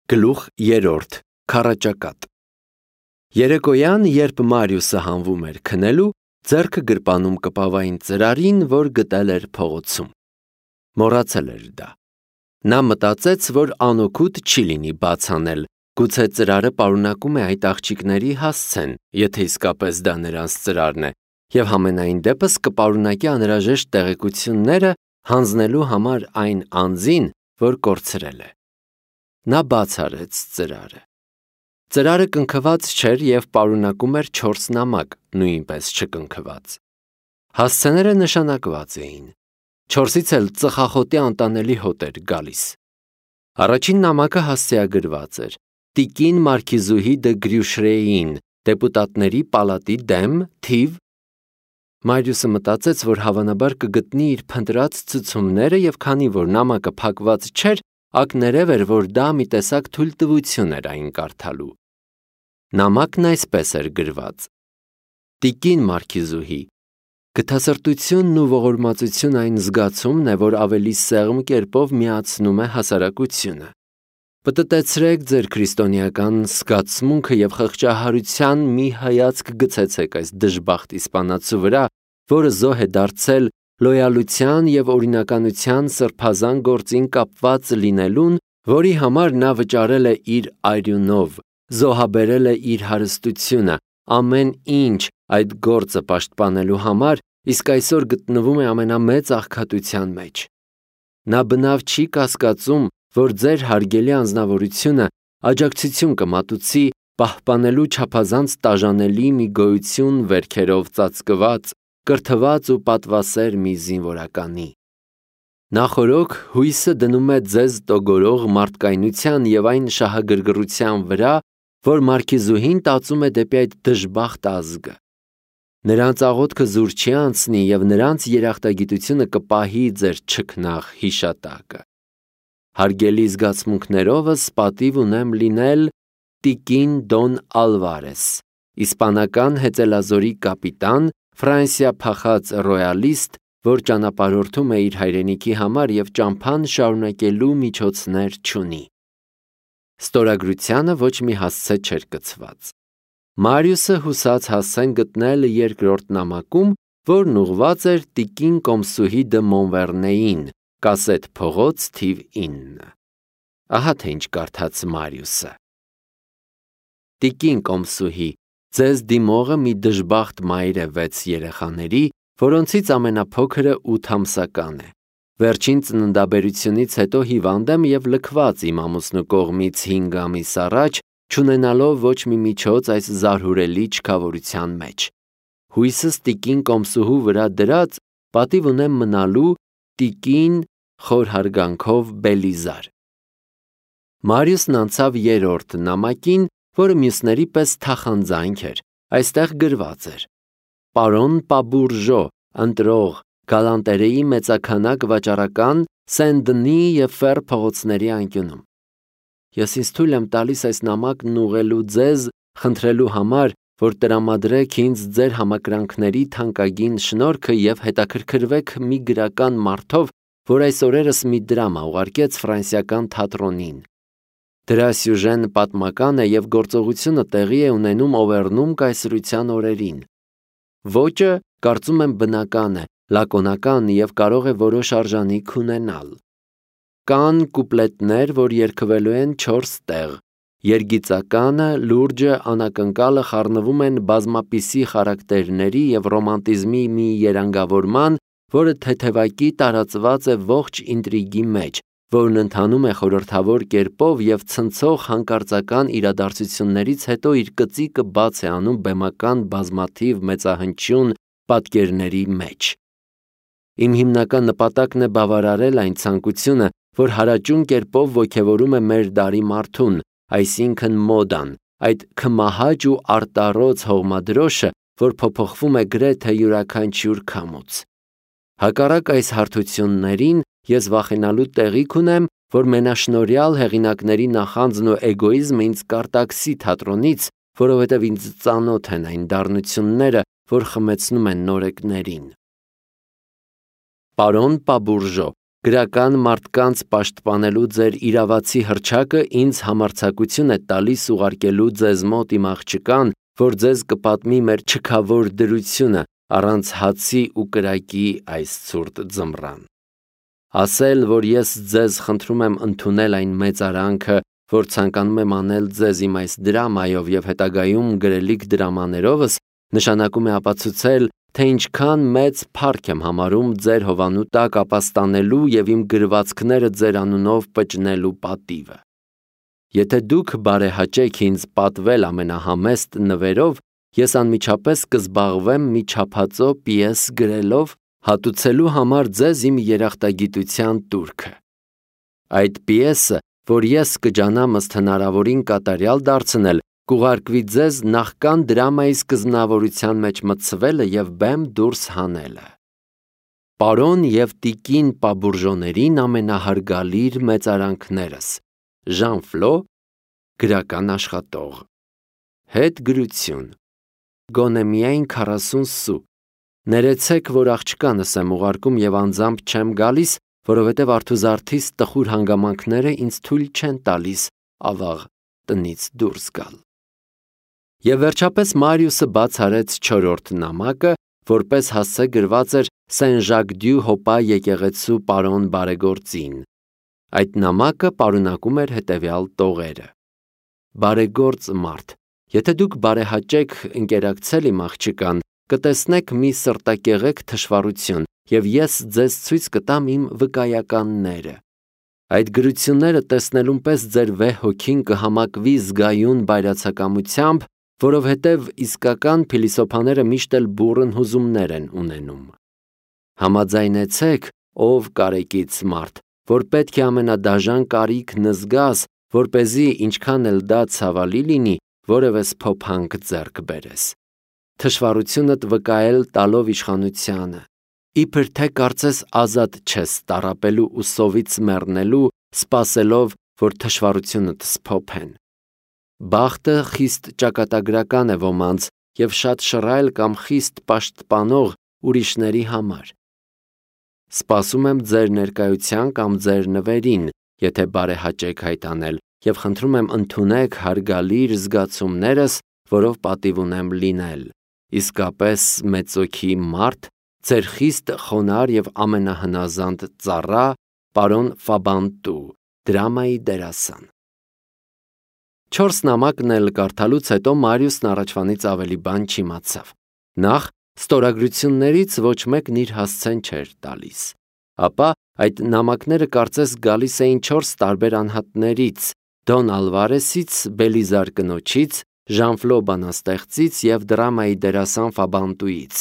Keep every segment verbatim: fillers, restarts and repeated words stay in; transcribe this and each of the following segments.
Գլուխ երրորդ. Քառաճակատ։ Երեկոյան, երբ Մարիուսը հանվում էր քնելու, ձեռքը գրպանում կպավային ծրարին, որ գտել էր փողոցում։ Մոռացել էր դա։ Նա մտածեց, որ անօգուտ չի լինի բաց անել, գուցե ծրարը պարունակում է այդ աղջիկների հասցեն, եթե իսկապես դա նրանց ծրարն է, և համենայն դեպս կպարունակի անհրաժեշտ տեղեկությունները հանձնելու համար այն անձին, որ կորցրել է։ Նա բաց արեց ծրարը։ Ծրարը կնքված չէր և պարունակում էր չորս նամակ, նույնպես չկնքված։ Հասցեները նշանակված էին։ Չորսից էլ ծխախոտի անտանելի հոտ էր գալիս։ Առաջին նամակը հասցեագրված էր. Տիկին Մարքիզուհի դը Գրյուշրեին, դեպուտատների պալատի դեմ, թիվ։ Մարիուսը մտածեց, որ հավանաբար կգտնի իր փնտրած ցուցումները, և քանի որ նամակը փակված չէր, ակներև էր, որ դա մի տեսակ թույլտվություն էր այն կարդալու։ Նամակն այսպես էր գրված. Տիկին Մարքիզուհի, գթասրտությունն ու ողորմածություն այն զգացումն է, որ ավելի սեղմ կերպով միացնում է հասարակությունը։ Պտտեցրեք ձեր քրիստոնեական զգացմունքը և խղճահարության մի հայացք գցեցեք այս դժբախտ իսպանացու վրա, որը զոհ է դարձել լոյալության և օրինականության սրբազան գործին կապված լինելուն, որի համար նա վճարել է իր արյունով, զոհաբերել է իր հարստությունը, ամեն ինչ այդ գործը պաշտպանելու համար, իսկ այսօր գտնվում է ամենամեծ աղքատության մեջ։ Նա բնավ չի կասկածում, որ ձեր հարգելի անձնավորությունը աջակցություն կմատուցի պահպանելու չափազանց տաժանելի մի գոյություն վերքերով ծածկված, կրթված ու պատվասեր մի զինվորականի։ Նախօրոք հույսը դնում է ձեզ տոգորող մարդկայնության և այն շահագրգռության վրա, որ Մարքիզուհին տածում է դեպի այդ դժբախտ ազգը։ Նրանց աղոթքը զուր չի անցնի և նրանց երախտագիտությունը կպահի ձեր չքնաղ հիշատակը։ Հարգելի զգացմունքներովս պատիվ ունեմ լինել տիկին Դոն Ալվարես, իսպանական հեծելազորի կապիտան, Ֆրանսիա փախած ռոյալիստ, որ ճանապարհորդում է իր հայրենիքի համար և ճամփան շարունակելու միջոցներ չունի։ Ստորագրությանը ոչ մի հասցե չէր կցված։ Մարիուսը հուսաց հասցեն գտնել երկրորդ նամակում, որն ուղղված էր տիկին Կոմսուհի դը Մոնվերնեին, Կասետ փողոց, թիվ ինը։ Ահա թե ինչ կարդաց Մարիուսը. Տիկին Կոմսուհի, ձեզ դիմողը մի դժբախտ մայր է վեց երեխաների, որոնցից ամենափոքրը ութ ամսական է։ Վերջին ծննդաբերությունից հետո հիվանդ եմ և լքված իմ ամուսնու կողմից հինգ ամիս առաջ, չունենալով ոչ մի միջոց այս զարհուրելի չքավորության մեջ։ Հույսս տիկին Կոմսուհու վրա դրած, պատիվ ունեմ մնալու տիկին խոր հարգանքով Բելիզար։ Մարիուսն անցավ երրորդ նամակին, որը մյուսների պես թախանձանք էր, այստեղ գրված էր. Պարոն Պաբուրժո, ընտրող, Գալանտերեի մեծաքանակ վաճառական, Սեն-Դնի և Ֆեր փողոցների անկյունում։ Ես ինձ թույլ եմ տալիս այս նամակն ուղղելու ձեզ, խնդրելու համար, որ տրամադրեք ինձ ձեր համակրանքների թանկագին շնորհքը և հետաքրքրվեք մի գրական մարդով, որ այս օրերս մի դրամա ուղարկեց ֆրանսիական թատրոնին։ Դրա սյուժեն պատմական է և գործողությունը տեղի է ունենում Օվերնում կայսրության օրերին։ Ոճը, կարծում եմ, բնական է, լակոնական և կարող է որոշ արժանիք ունենալ։ Կան կուպլետներ, որ երգվելու են չորս տեղ։ Երգիծականը, լուրջը, անակնկալը խառնվում են բազմապիսի խարակտերների և ռոմանտիզմի մի երանգավորման, որը թեթևակի տարածված է ողջ ինտրիգի մեջ, որն ընթանում է խորհրդավոր կերպով և ցնցող հանկարծական իրադարձություններից հետո իր կծիկը բաց է անում բեմական բազմաթիվ մեծահնչյուն պատկերների մեջ։ Իմ հիմնական նպատակն է բավարարել այն ցանկությունը, որ հարաճուն կերպով ոգևորում է մեր դարի մարդուն, այսինքն մոդան, այդ քմահաճ ու արտառոց հողմադրոշը, որ փոփոխվում է գրեթե յուրաքանչյուր քամուց։ Հակառակ այս հարթություններին ես վախենալու տեղիք ունեմ, որ մենաշնորհյալ հեղինակների նախանձն ու էգոիզմը ինձ կարտաքսի թատրոնից, որովհետև ինձ ծանոթ են այն դառնությունները, որ խմեցնում են նորեկներին։ Պարոն Պաբուրժո, գրական մարդկանց պաշտպանելու ձեր իրավացի հռչակը ինձ համարձակություն է տալիս ուղարկելու ձեզ մոտ իմ աղջկան, որ ձեզ կպատմի մեր չքավոր դրությունը առանց հացի ու կրակի այս ցուրտ ձմռան։ Ասել, որ ես ձեզ խնդրում եմ ընդունել այն մեծարանքը, որ ցանկանում եմ անել ձեզ իմ այս դրամայով եւ հետագայում գրելիք դրամաներովս, նշանակում է ապացուցել, թե ինչքան մեծ փառք եմ համարում ձեր հովանու տակ ապաստանելու եւ իմ գրվածքները ձեր անունով պճնելու պատիվը։ Եթե դուք բարեհաճեք ինձ պատվել ամենահամեստ նվերով, ես անմիջապես կզբաղվեմ մի չափածո պիես գրելով, հատուցելու համար ձեզ իմ երախտագիտության տուրքը։ Այդ պիեսը, որ ես կջանամ ըստ հնարավորին կատարյալ դարձնել, կուղարկվի ձեզ նախքան դրամայի սկզբնավորության մեջ մտցվելը եւ բեմ դուրս հանելը։ Պարոն եւ տիկին Պաբուրժոներին ամենահարգալիր մեծարանքներս, Ժան Ֆլո, գրական աշխատող։ Հետ գրություն։ Գոնե միայն քառասուն սու։ Ներեցեք, որ աղջկանս եմ ուղարկում եւ անձամբ չեմ գալիս, որովհետեւ արթուզարթիս տխուր հանգամանքները ինձ թույլ չեն տալիս ավաղ տնից դուրս գալ։ Եվ վերջապես Մարիուսը բաց արեց չորրորդ նամակը, որպես հասցե գրված էր Սեն Ժակ դյու Հոպա եկեղեցու պարոն բարեգործին։ Այդ նամակը պարունակում էր հետևյալ տողերը. Բարեգործ մարդ, եթե դուք բարեհաճեք ընկերակցել իմ աղջկան, կտեսնեք մի սրտակեղեկ թշվառություն, եւ ես ձեզ ցույց կտամ իմ վկայականները։ Այդ գրությունները տեսնելուն պես ձեր վեհ հոգին կհամակվի զգայուն բայրացակամությամբ, որովհետև իսկական փիլիսոփաները միշտ էլ բուռն հուզումներ են ունենում։ Համաձայնեցեք, ով կարեկից մարդ, որ պետք է ամենադաժան կարիքն զգաս, որպեսզի ինչքան էլ դա ցավալի լինի, որևէ սփոփանք ձեռք բերես։ Թշվառությունդ վկայել տալով իշխանությանը, իբր թե կարծես ազատ չես տառապելու ու սովից մեռնելու, սպասելով, որ թշվառությունդ սփոփեն։ Բախտը խիստ ճակատագրական է ոմանց եւ շատ շռայլ կամ խիստ պաշտպանող ուրիշների համար։ Սպասում եմ ձեր ներկայության կամ ձեր նվերին, եթե բարեհաճեք հայտանել, եւ խնդրում եմ ընդունեք հարգալիր զգացումներս, որով պատիվ ունեմ լինել։ Իսկապես մեծոքի մարդ, ձեր խիստ խոնար եւ ամենահնազանդ ծառա, պարոն Ֆաբանտու, դրամայի դերասան։ Չորս նամակն էլ կարդալուց հետո Մարիուսն առաջվանից ավելի բան չիմացավ։ Նախ ստորագրություններից ոչ մեկն իր հասցեն չէր տալիս։ Ապա այդ նամակները կարծես գալիս էին չորս տարբեր անհատներից՝ Դոն Ալվարեսից, Բելիզար կնոջից, Ժան Ֆլո բանաստեղծից եւ դրամայի դերասան Ֆաբանտուից։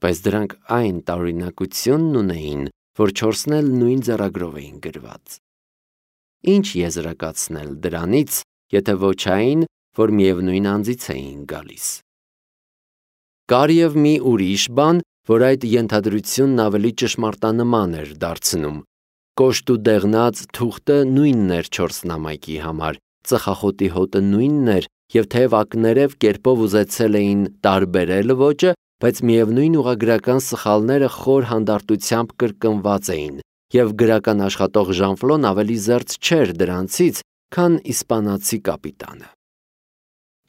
Բայց դրանք այն տարօրինակությունն ունեին, որ չորսն էլ նույն ձեռագրով էին գրված։ Ինչ եզրակացնել դրանից, եթե ոչ այն, որ միևնույն անձից էին գալիս։ Կար եւ մի ուրիշ բան, որ այդ ենթադրությունն ավելի ճշմարտանման էր դարձնում։ Կոշտ ու դեղնած թուղթը նույնն էր չորս նամակի համար, ծխախոտի հոտը նույնն էր, եւ թեև ակներև կերպով ուզեցել էին տարբերել ոճը, բայց միևնույն ուղղագրական սխալները խոր հանդարտությամբ կրկնված էին, եւ գրական աշխատող Ժան Ֆլոն ավելի զերծ չէր դրանցից, քան իսպանացի կապիտանը։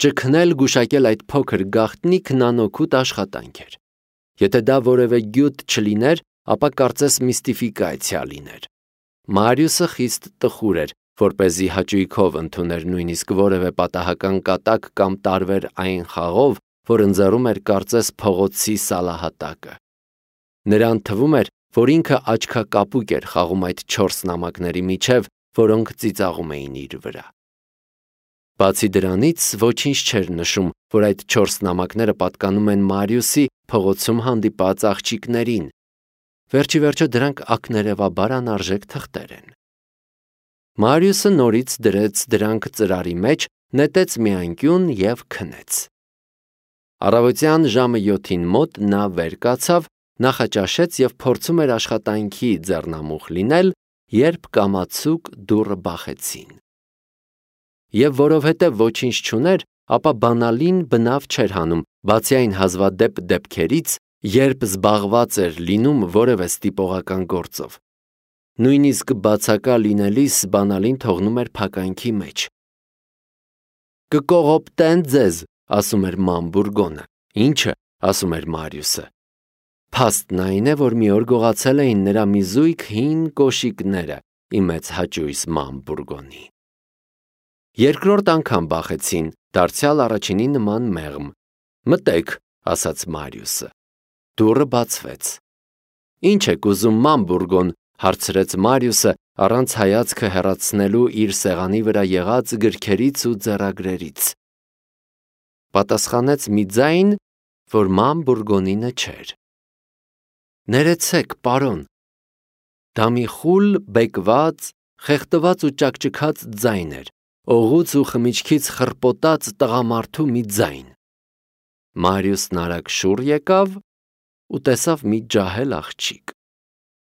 Ճգնել գուշակել այդ փոքր գաղտնիքն անօգուտ աշխատանք էր։ Եթե դա որևէ գյուտ չլիներ, ապա կարծես միստիֆիկացիա լիներ։ Մարիուսը խիստ տխուր էր, որպեսզի հաճույքով ընդուներ նույնիսկ որևէ պատահական կատակ կամ տարվեր այն խաղով, որ ընձեռում էր կարծես փողոցի սալահատակը։ Նրան թվում էր, որ ինքը աչքակապուկ էր խաղում այդ չորս նամակների միջև, որոնք ծիծաղում էին իր վրա։ Բացի դրանից ոչինչ չէր նշում, որ այդ չորս նամակները պատկանում են Մարիուսի փողոցում հանդիպած աղջիկներին։ Վերջի վերջո դրանք ակներևաբար անարժեք թղթեր են։ Մարիուսը նորից դրեց դրանք ծրարի մեջ, նետեց մի անկյուն եւ քնեց։ Առավոտյան ժամը յոթին մոտ նա վեր կացավ, նախաճաշեց եւ փորձում էր աշխատանքի ձեռնամուխ լինել, երբ կամացուկ դուռը բախեցին։ Եվ որովհետև ոչինչ չուներ, ապա բանալին բնավ չէր հանում, բացի այն հազվադեպ դեպքերից, երբ զբաղված էր լինում որևէ ստիպողական գործով։ նույնիսկ բացակա լինելիս բանալին թողնում էր փականքի մեջ։ «Կկողոպտեն ձեզ», ասում էր Ման Բուրգոնը։ «Ի՞նչը», ասում էր Մարիուսը։ Փաստն այն է, որ մի օր գողացել էին նրա մի զույգ հին կոշիկները ի մեծ հաճույս Ման Բուրգոնի։ Երկրորդ անգամ բախեցին, դարձյալ առաջինի նման մեղմ։ «Մտեք», ասաց Մարիուսը։ Դուռը բացվեց։ «Ինչ եք ուզում, Ման Բուրգոն», հարցրեց Մարիուսը, առանց հայացքը հեռացնելու իր սեղանի վրա եղած գրքերից ու ձեռագրերից։ Պատասխանեց մի ձայն, որ Ման Բուրգոնինը չէր։ «Ներեցեք, պարոն»։ Դա մի խուլ, բեկված, խեղդված ու ճաքճքած ձայն էր, օղուց ու խմիչքից խռպոտած տղամարդու մի ձայն։ Մարիուսն արագ շուռ եկավ ու տեսավ մի ջահել աղջիկ։